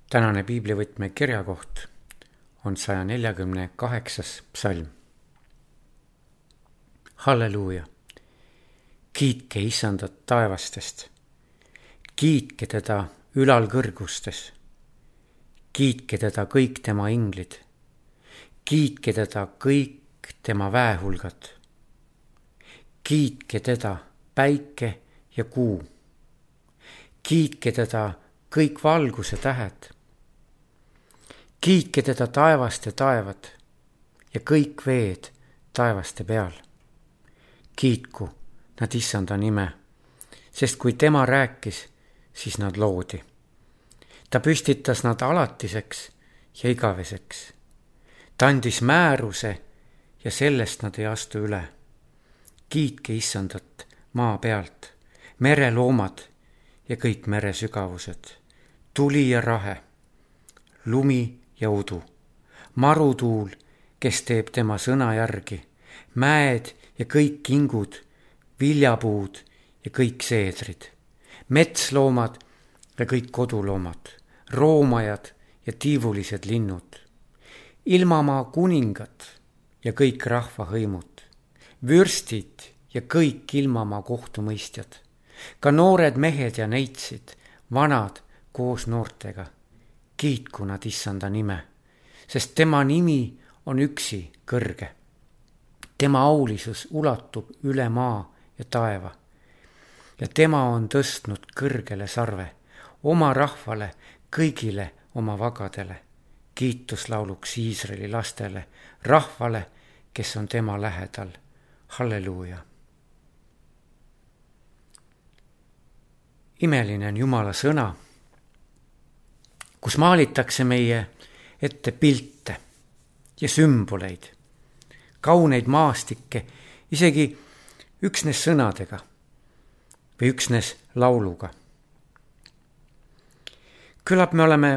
Tänane piiblivõtme kirjakoht on 148. psalm. Halleluuja! Kiitke Issandat taevastest, kiitke teda ülal kõrgustes, kiitke teda kõik tema inglid, kiitke teda kõik tema väehulgad, kiitke teda päike ja kuu, kiitke teda kõik valguse tähed, kiitke teda taevaste taevad ja kõik veed taevaste peal. Kiitku nad Issanda nime, sest kui tema rääkis, siis nad loodi. Ta püstitas nad alatiseks ja igaveseks. Ta andis määruse ja sellest nad ei astu üle. Kiitke Issandat maa pealt, mereloomad ja kõik mere sügavused, tuli ja rahe, lumi ja udu, marutuul, kes teeb tema sõna järgi, mäed ja kõik kingud, viljapuud ja kõik seedrid, metsloomad ja kõik koduloomad, roomajad ja tiivulised linnud, ilmamaa kuningad ja kõik rahvahõimud, vürstid ja kõik ilmamaa kohtumõistjad, ka noored mehed ja neitsid, vanad koos noortega. Kiitku nad Issanda nime, sest tema nimi on üksi kõrge. Tema aulisus ulatub üle maa ja taeva ja tema on tõstnud kõrgele sarve oma rahvale, kõigile oma vagadele, kiituslauluks Iisraeli lastele, rahvale, kes on tema lähedal. Halleluuja! Imeline on Jumala sõna, kus maalitakse meie ette pilte ja sümboleid, kauneid maastikke, isegi üksnes sõnadega või üksnes lauluga. Küllap me oleme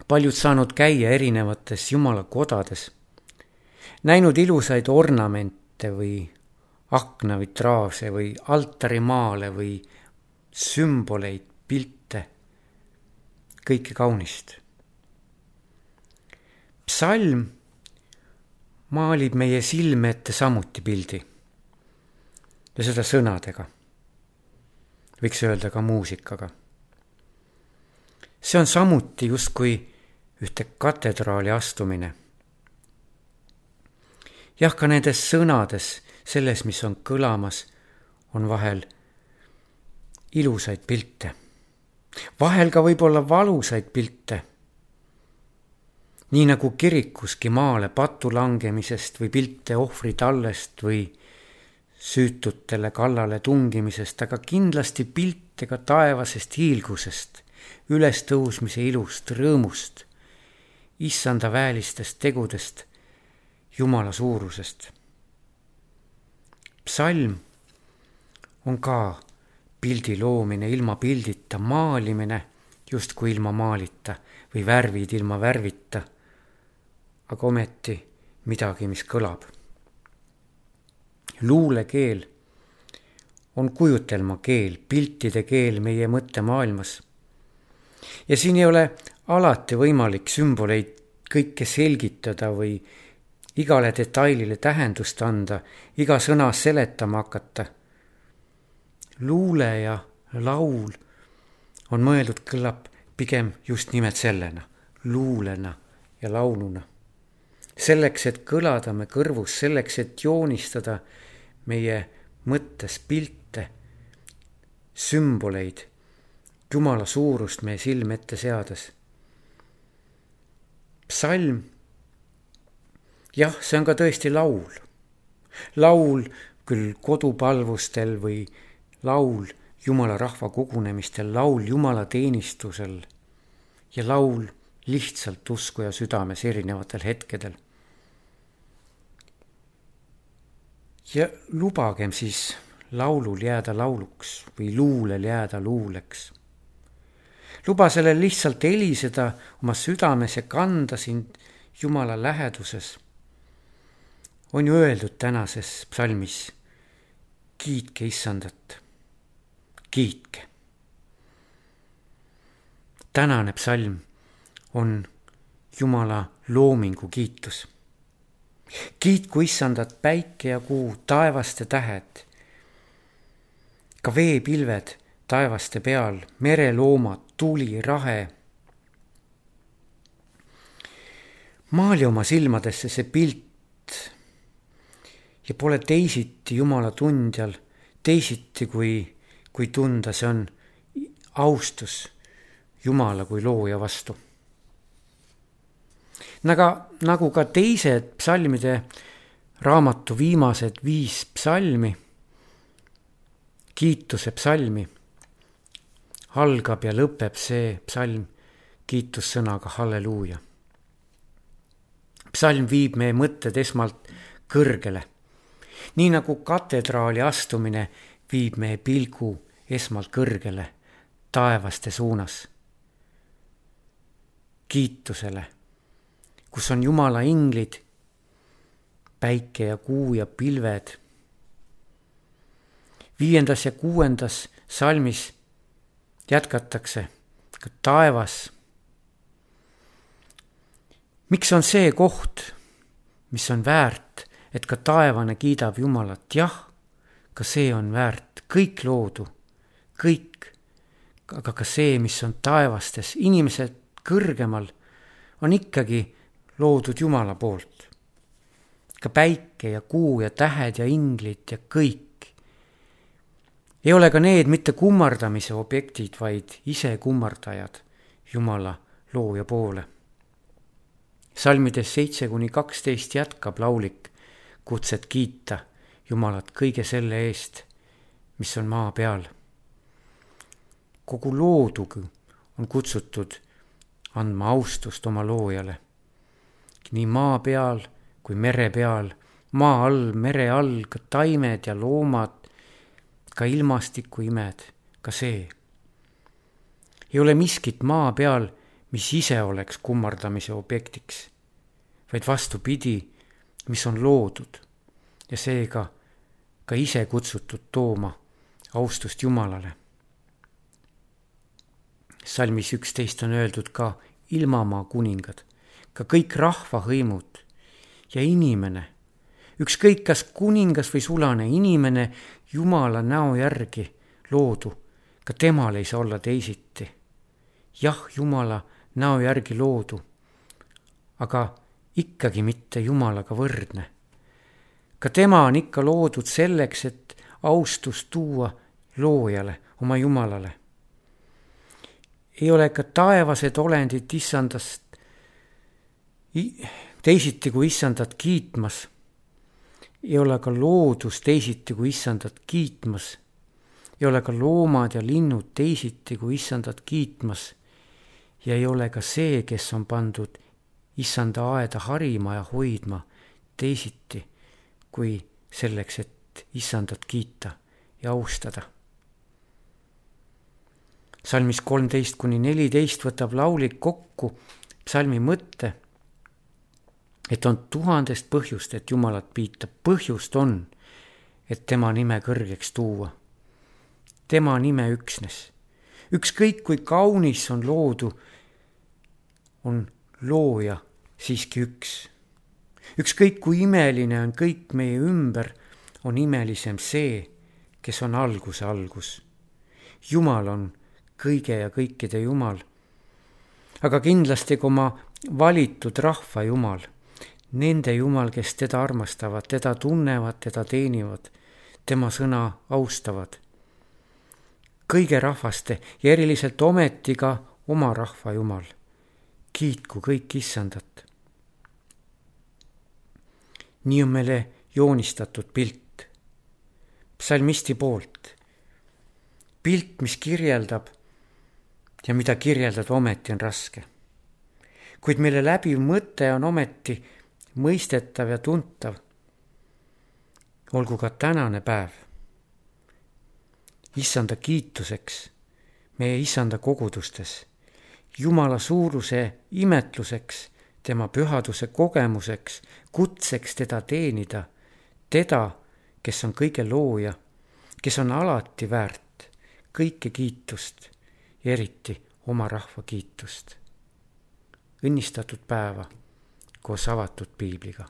paljud saanud käia erinevates Jumala kodades, näinud ilusaid ornamente või aknavitraaže või altarimaale või sümboleid, pilte, kõike kaunist. Psalm maalib meie silme ette samuti pildi ja seda sõnadega, võiks öelda ka muusikaga. See on samuti justkui ühte katedraali astumine. Jah, ka nendes sõnades, selles, mis on kõlamas, on vahel ilusaid pilte. Vahel ka võib-olla valusaid pilte. Nii nagu kirikuski maale patu langemisest või pilte ohvritallest või süütutele kallale tungimisest, aga kindlasti pilte ka taevasest hiilgusest, ülestõusmise ilust, rõõmust, Issanda väelistest tegudest, Jumala suurusest. Psalm on ka pildi loomine ilma pildita, maalimine justkui ilma maalita või värvid ilma värvita, aga ometi midagi, mis kõlab. Luulekeel on kujutelma keel, piltide keel meie mõttemaailmas. Ja siin ei ole alati võimalik sümboleid kõike selgitada või igale detailile tähendust anda, iga sõna seletama hakata. Luule ja laul on mõeldud kõlab pigem just nimelt sellena, luulena ja lauluna. Selleks, et kõlada me kõrvus, selleks, et joonistada meie mõttes pilte, sümboleid, Jumala suurust meie silme ette seades. Psalm, jah, see on ka tõesti laul. Laul küll kodupalvustel või laul Jumala rahva kogunemistel, laul Jumala teenistusel ja laul lihtsalt usku ja südames erinevatel hetkedel. Ja lubagem siis laulul jääda lauluks või luulel jääda luuleks. Luba sellel lihtsalt heliseda oma südames ja kanda sind Jumala läheduses. On ju öeldud tänases psalmis, kiitke Issandat. Kiitke. Tänane psalm on Jumala loomingu kiitus. Kiitku Issandat päike ja kuu, taevaste tähed, ka veepilved taevaste peal, mereloomad, tuli, rahe. Maali oma silmadesse see pilt ja pole teisiti Jumala tundjal, teisiti kui tunda, see on austus Jumala kui looja vastu. Nagu ka teised psalmide raamatu viimased 5 psalmi, kiituse psalmi, algab ja lõpeb see psalm kiitussõnaga halleluuja. Psalm viib meie mõtted esmalt kõrgele, nii nagu katedraali astumine viib meie pilgu esmalt kõrgele, taevaste suunas. Kiitusele, kus on Jumala inglid, päike ja kuu ja pilved. 5. ja 6. salmis jätkatakse ka taevas. Miks on see koht, mis on väärt, et ka taevane kiidab Jumalat? Jah, ka see on väärt, kõik loodu, kõik, aga ka see, mis on taevastes, inimesed kõrgemal, on ikkagi loodud Jumala poolt. Ka päike ja kuu ja tähed ja inglid ja kõik. Ei ole ka need mitte kummardamise objektid, vaid ise kummardajad Jumala looja poole. Salmides 7-12 jätkab laulik kutset kiita Jumalat kõige selle eest, mis on maa peal. Kogu loodugi on kutsutud andma austust oma loojale. Nii maa peal kui mere peal, maa all, mere all, ka taimed ja loomad, ka ilmastiku imed, ka see. Ei ole miskit maa peal, mis ise oleks kummardamise objektiks, vaid vastupidi, mis on loodud ja seega ka ise kutsutud tooma austust Jumalale. Salmis 11 on öeldud ka ilmamaa kuningad, ka kõik rahvahõimud ja inimene, ükskõik kas kuningas või sulane, inimene Jumala näo järgi loodu, ka temal ei saa olla teisiti. Jah, Jumala näo järgi loodu, aga ikkagi mitte Jumalaga võrdne. Ka tema on ikka loodud selleks, et austust tuua loojale, oma Jumalale. Ei ole ka taevased olendid Issandast teisiti kui Issandat kiitmas. Ei ole ka loodus teisiti kui Issandat kiitmas. Ei ole ka loomad ja linnud teisiti kui Issandat kiitmas. Ja ei ole ka see, kes on pandud Issanda aeda harima ja hoidma teisiti kui selleks, et Issandat kiita ja austada. Salmis 13-14 võtab laulik kokku psalmi mõtte, et on 1000 põhjust, et Jumalat piita. Põhjust on, et tema nime kõrgeks tuua. Tema nime üksnes. Ükskõik kui kaunis on loodu, on looja siiski üks. Ükskõik kui imeline on kõik meie ümber, on imelisem see, kes on alguse algus. Jumal on kõige ja kõikide Jumal, aga kindlasti ka oma valitud rahva Jumal, nende Jumal, kes teda armastavad, teda tunnevad, teda teenivad, tema sõna austavad. Kõige rahvaste ja eriliselt ometi ka oma rahva Jumal. Kiitku kõik Issandat. Nii on meile joonistatud pilt psalmisti poolt. Pilt, mis kirjeldab ja mida kirjeldada ometi on raske. Kuid meile läbiv mõte on ometi mõistetav ja tuntav. Olgu ka tänane päev Issanda kiituseks, meie Issanda kogudustes, Jumala suuruse imetluseks, tema pühaduse kogemuseks, kutseks teda teenida, teda, kes on kõige looja, kes on alati väärt kõike kiitust ja eriti oma rahva kiitust. õnnistatud päeva koos avatud piibliga.